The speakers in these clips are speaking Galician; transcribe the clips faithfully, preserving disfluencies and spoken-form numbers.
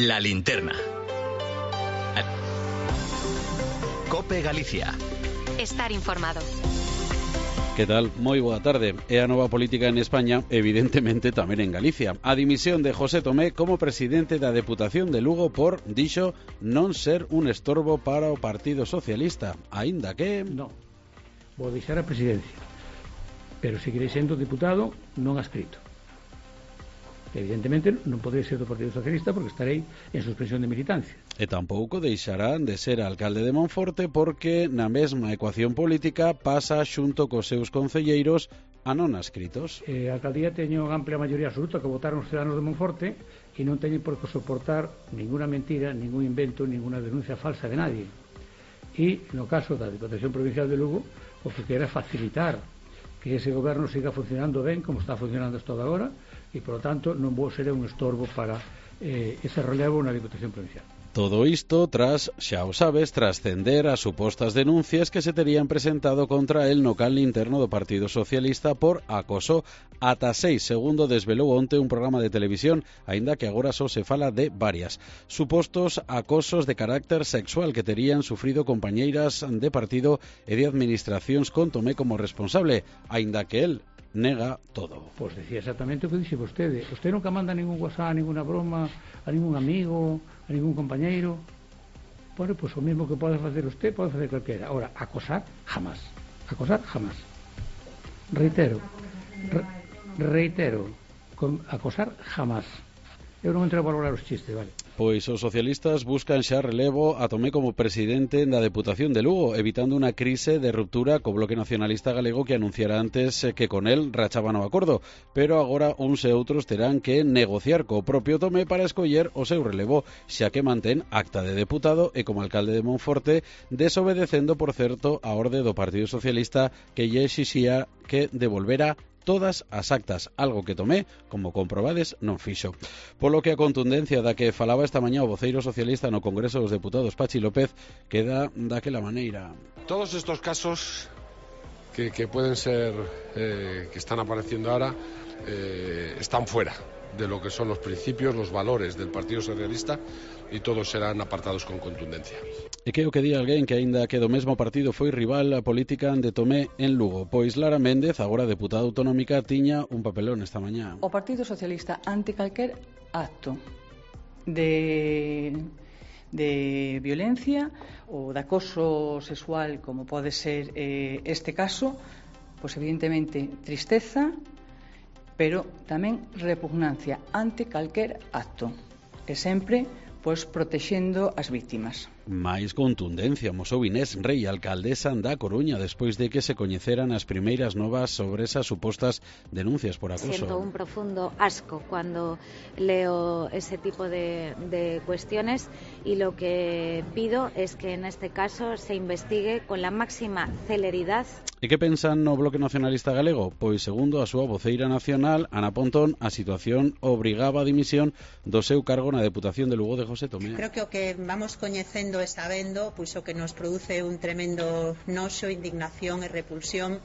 La linterna. COPE Galicia. Estar informado. Que tal? Moi boa tarde. É a nova política en España, evidentemente tamén en Galicia. A dimisión de José Tomé como presidente da Deputación de Lugo por, dixo, non ser un estorbo para o Partido Socialista, aínda que... Non, vou deixar a presidencia, pero seguirei sendo deputado non adscrito. Evidentemente non poderei ser do Partido Socialista porque estarei en suspensión de militancia. E tampouco deixarán de ser alcalde de Monforte porque na mesma ecuación política pasa xunto cos seus concelleiros a non adscritos. Eh, a alcaldía teño amplia maioría absoluta que votaron os ciudadanos de Monforte e non teñen por que soportar ninguna mentira, ningún invento, ninguna denuncia falsa de nadie. E no caso da Diputación Provincial de Lugo, o que quere facilitar que ese goberno siga funcionando ben como está funcionando hasta agora e, por lo tanto, non vou ser un estorbo para eh, ese relevo na Diputación Provincial. Todo isto tras, xa o sabes, trascender as supostas denuncias que se terían presentado contra el no cal interno do Partido Socialista por acoso. Ata seis, segundo desvelou onte un programa de televisión, aínda que agora só se fala de varias. Supostos acosos de carácter sexual que terían sufrido compañeiras de partido e de administracións con Tomé como responsable, aínda que el nega todo. Pois decía exactamente o que dixe vostede. Vostede nunca manda ningún WhatsApp, ninguna broma a ningún amigo, a ningún compañeiro. Bueno, pois o mesmo que pode facer usted, pode facer calquera. Ahora, acosar, jamás. Acosar, jamás. Reitero, re, reitero, con, acosar, jamás. Eu non entro a valorar os chistes, vale? Pois os socialistas buscan xa relevo a Tomé como presidente da Deputación de Lugo, evitando unha crise de ruptura co Bloque Nacionalista Galego que anunciara antes que con el rachaban o acordo, pero agora uns e outros terán que negociar co propio Tomé para escoller o seu relevo, xa que mantén acta de deputado e como alcalde de Monforte, desobedecendo, por certo, a orde do Partido Socialista que lle exixía que devolvera todas as actas, algo que Tomé, como comprobades, non fixo. Polo que a contundencia da que falaba esta mañá o voceiro socialista no Congreso dos Deputados, Pachi López, queda daquela maneira. Todos estos casos que, que pueden ser, eh, que están apareciendo ahora, eh, están fuera de lo que son los principios, los valores del Partido Socialista e todos serán apartados con contundencia. E que o que di alguén que aínda que do mesmo partido foi rival a política de Tomé en Lugo, pois Lara Méndez, agora deputada autonómica, tiña un papelón esta mañá. O Partido Socialista, ante calquer acto de de violencia ou de acoso sexual, como pode ser eh, este caso, pois evidentemente tristeza, pero tamén repugnancia ante calquer acto, e sempre pois protexendo as vítimas. máis contundencia mosou Inés Rei, alcaldesa da Coruña, despois de que se coñeceran as primeiras novas sobre esas supostas denuncias por acoso. Siento un profundo asco cuando leo ese tipo de, de cuestiones y lo que pido es que en este caso se investigue con la máxima celeridad. E que pensan no Bloque Nacionalista Galego? Pois, segundo a súa voceira nacional, Ana Pontón, a situación obrigaba a dimisión do seu cargo na Deputación de Lugo de José Tomé. Creo que o que vamos coñecendo e sabendo, pois o que nos produce un tremendo noxo, indignación e repulsión,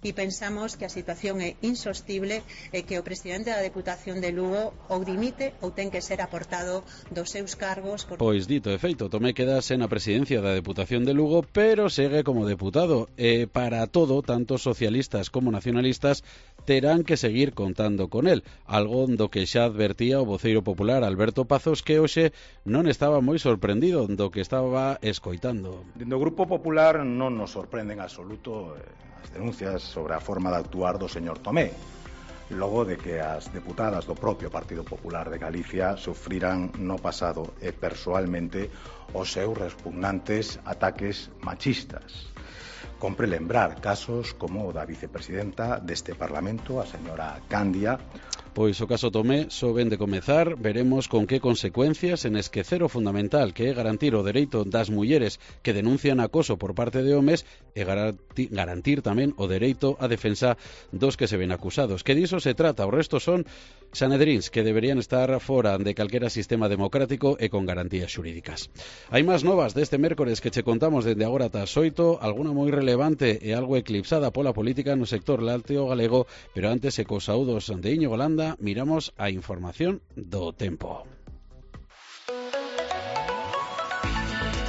e pensamos que a situación é insostible e que o presidente da Deputación de Lugo ou dimite ou ten que ser aportado dos seus cargos. Por... Pois dito e feito, Tomé quedase na presidencia da Deputación de Lugo, pero segue como deputado. E para todo, tanto socialistas como nacionalistas terán que seguir contando con él, algo do que xa advertía o voceiro popular Alberto Pazos, que hoxe non estaba moi sorprendido do que estaba escoitando. Dentro do Grupo Popular non nos sorprende en absoluto as denuncias sobre a forma de actuar do señor Tomé, logo de que as deputadas do propio Partido Popular de Galicia sufriran no pasado e persoalmente os seus repugnantes ataques machistas. Compre lembrar casos como o da vicepresidenta deste Parlamento, a señora Candia. Pois o caso Tomé só ven de comezar, veremos con que consecuencias en esquecer o fundamental que é garantir o dereito das mulleres que denuncian acoso por parte de homes e garantir, garantir tamén o dereito á defensa dos que se ven acusados. Que diso se trata, o resto son sanedríns que deberían estar fora de calquera sistema democrático e con garantías xurídicas. Hai máis novas deste mércores que che contamos dende agora ata as oito, alguna moi relevante e algo eclipsada pola política no sector lácteo galego, pero antes e cos saúdos de Íñigo Landa miramos a información do tempo.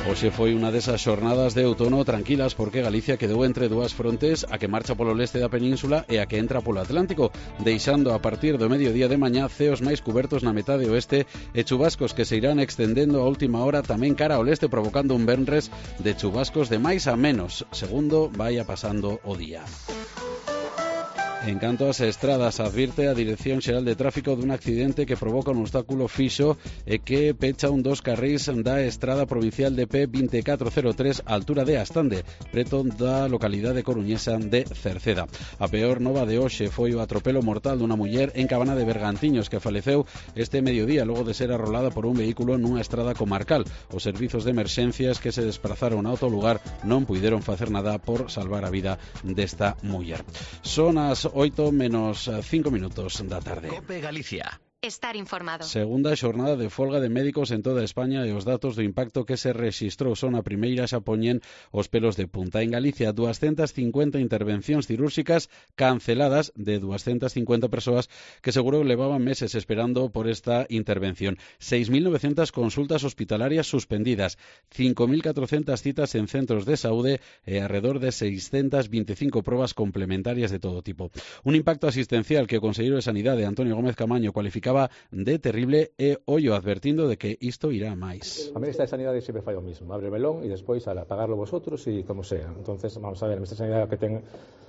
Hoxe foi unha desas xornadas de outono tranquilas porque Galicia quedou entre dúas frontes, a que marcha polo leste da península e a que entra polo Atlántico, deixando a partir do mediodía de mañá ceos máis cubertos na metade oeste e chubascos que se irán extendendo a última hora tamén cara ao leste, provocando un venres de chubascos de máis a menos, segundo vaya pasando o día. En canto ás estradas, advirte a Dirección Xeral de Tráfico dun accidente que provoca un obstáculo fixo e que pecha un dos carrís da estrada provincial de P vinte e catro cero tres á altura de Astande, preto da localidade coruñesa de Cerceda. A peor nova de hoxe foi o atropelo mortal dunha muller en Cabana de Bergantiños que faleceu este mediodía logo de ser arrolada por un vehículo nunha estrada comarcal. Os servizos de emerxencias que se desplazaron ao lugar non puideron facer nada por salvar a vida desta muller. Son as oito menos cinco minutos da tarde. Cope Galicia. Estar informado. Segunda xornada de folga de médicos en toda España e os datos do impacto que se rexistrou son a primeira xa poñen os pelos de punta. En Galicia, doscientas cincuenta intervencións cirúrxicas canceladas de doscientas cincuenta persoas que seguro levaban meses esperando por esta intervención. seis mil novecientas consultas hospitalarias suspendidas, cinco mil catrocentas citas en centros de saúde e alrededor de seiscentas veinticinco probas complementarias de todo tipo. Un impacto asistencial que o conselleiro de Sanidade, Antonio Gómez Camaño, cualificaba de terrible e ollo advertindo de que isto irá máis. A Ministra de Sanidade sempre fai o mismo, abre o melón e despois a pagarlo vosotros e como sea. Entonces, vamos a ver, a Ministra de Sanidade que ten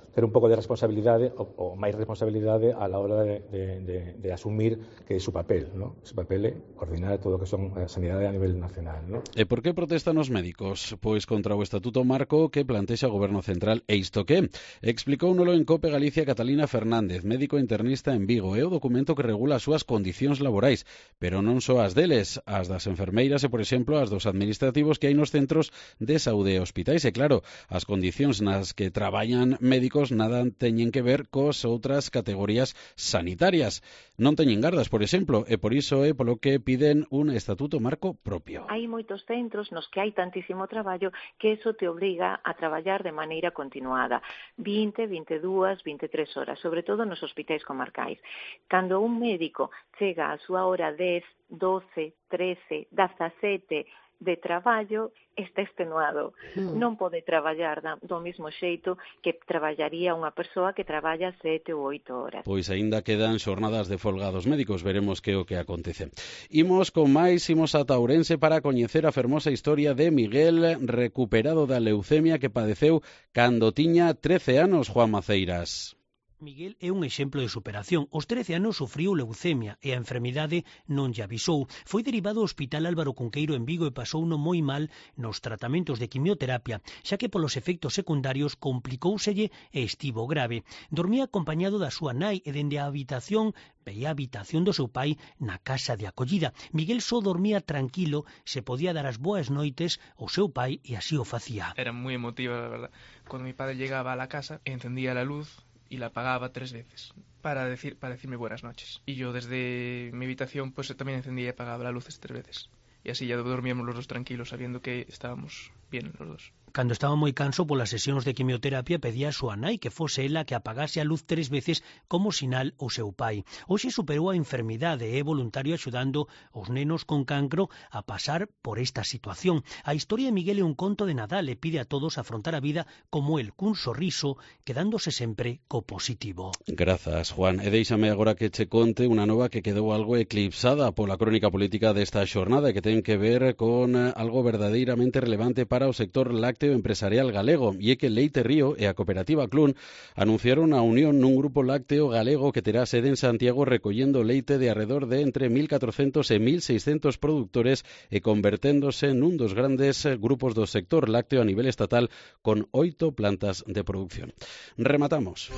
ter un pouco de responsabilidade ou, ou máis responsabilidade a la hora de, de, de, de asumir que é su papel, ¿no? Su papel é coordinar todo o que son a sanidade a nivel nacional, ¿no? E por que protestan os médicos? Pois contra o Estatuto Marco que plantexa o Goberno Central. E isto que? Explicóunolo en Cope Galicia Catalina Fernández, médico internista en Vigo. É o documento que regula as súas condicións laborais, pero non só as deles, as das enfermeiras e, por exemplo, as dos administrativos que hai nos centros de saúde e hospitais. E claro, as condicións nas que traballan médicos nada teñen que ver cos outras categorías sanitarias. Non teñen gardas, por exemplo, e por iso é polo que piden un estatuto marco propio. Hai moitos centros nos que hai tantísimo traballo que eso te obriga a traballar de maneira continuada, vinte, veintidós, veintitrés horas, sobre todo nos hospitais comarcais. Cando un médico chega a súa hora dez, doce, trece, dezasete de traballo, está extenuado. Mm. Non pode traballar do mesmo xeito que traballaría unha persoa que traballa sete ou oito horas. Pois aínda quedan xornadas de folga dos médicos, veremos que o que acontece. Imos con máis, imos ata Ourense para coñecer a fermosa historia de Miguel, recuperado da leucemia que padeceu cando tiña trece anos, Juan Maceiras. Miguel é un exemplo de superación. Os trece anos sufriu leucemia e a enfermidade non lle avisou. Foi derivado ao Hospital Álvaro Cunqueiro en Vigo e pasouno moi mal nos tratamentos de quimioterapia, xa que polos efectos secundarios complicóuselle e estivo grave. Dormía acompañado da súa nai e dende a habitación veía a habitación do seu pai na casa de acollida. Miguel só dormía tranquilo, se podía dar as boas noites ao seu pai e así o facía. Era moi emotiva, la verdad. Cuando mi padre llegaba a la casa, encendía la luz y la apagaba tres veces para decir para decirme buenas noches. Y yo desde mi habitación pues también encendía y apagaba las luces tres veces. Y así ya dormíamos los dos tranquilos, sabiendo que estábamos bien los dos. Cando estaba moi canso polas sesións de quimioterapia pedía a súa nai que fose ela que apagase a luz tres veces como sinal ao seu pai. Hoxe superou a enfermidade e é voluntario axudando os nenos con cancro a pasar por esta situación. A historia de Miguel é un conto de Nadal e pide a todos afrontar a vida como el, cun sorriso, quedándose sempre co positivo. Grazas, Juan. E déixame agora que che conte unha nova que quedou algo eclipsada pola crónica política desta xornada e que ten que ver con algo verdadeiramente relevante para o sector lácteo empresarial galego, e é que Leite Río e a cooperativa Clun anunciaron a unión nun grupo lácteo galego que terá sede en Santiago recollendo leite de arredor de entre mil catrocentos e mil seiscentos productores e converténdose nun dos grandes grupos do sector lácteo a nivel estatal con oito plantas de producción. Rematamos.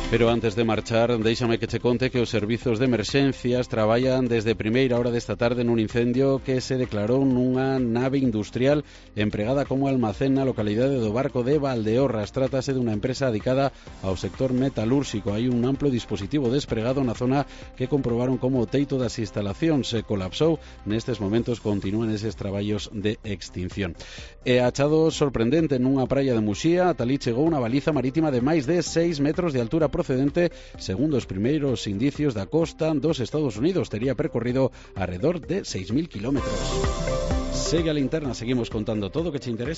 Pero antes de marchar, déixame que che conte que os servizos de emerxencias traballan desde primeira hora desta tarde nun incendio que se declarou nunha nave industrial empregada como almacén na localidade do Barco de Valdeorras. Trátase dunha empresa dedicada ao sector metalúrxico. Hai un amplo dispositivo despregado na zona que comprobaron como o teito das instalacións se colapsou. Nestes momentos continúan eses traballos de extinción. E achado sorprendente nunha praia de Muxía, ata ali chegou unha baliza marítima de máis de seis metros de altura procedente, segundo os primeiros indicios da costa dos Estados Unidos. Tería percorrido alrededor de seis mil kilómetros. Segue a Linterna, seguimos contando todo o que che interesa.